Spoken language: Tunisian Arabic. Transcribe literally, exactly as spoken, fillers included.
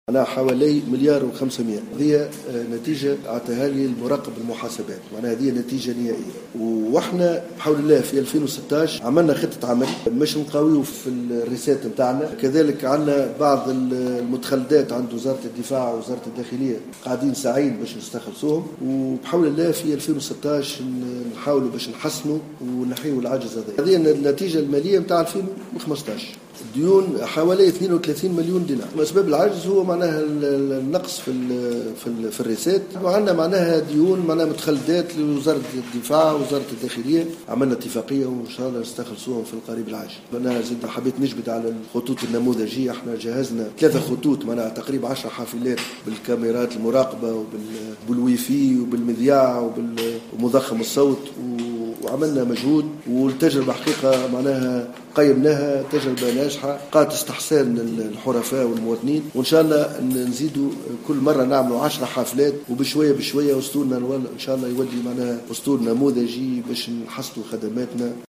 معناها حوالي مليار وخمسمائة. هذه نتيجة أعطاها لي المراقب المحاسبات، معناها هذه نتيجة نهائية. وإحنا بحول الله في ألفين وستاش عملنا خطة عمل باش نقاويو في ال recettes نتاعنا، كذلك عندنا بعض المتخلدات عند وزارة الدفاع ووزارة الداخلية قاعدين ساعين باش نستخلصوهم، وبحول الله في ألفين وستاش نحاولوا باش نحسنوا ونحيوا العجز هذا. هذه النتيجة المالية نتاع ألفين وخمسطاش. الديون حوالي اثنين وثلاثين مليون دينار. أسباب العجز هو معناها النقص في ال في ال في ال recettes، وعندنا معناها ديون معناها متخلدات لوزارة الدفاع ووزارة الداخلية، عملنا اتفاقية وإن شاء الله نستخلصوهم في القريب العاجل. أنا زد حبيت نجبد على الخطوط النموذجية، احنا جهزنا ثلاثة خطوط معناها تقريبا عشر حافلات بالكاميرات المراقبة وبالويفي وبالمذياع ومضخم الصوت، وعملنا مجهود، والتجربة حقيقة معناها قيمناها تجربة ناجحة قالت استحسان الحرفاء والمواطنين، وإن شاء الله نزيدوا كل مرة نعملوا عشر حافلات، وبشوية بشوية أسطولنا إن شاء الله يولي معناها أسطول نموذجي باش نحصلوا خدماتنا.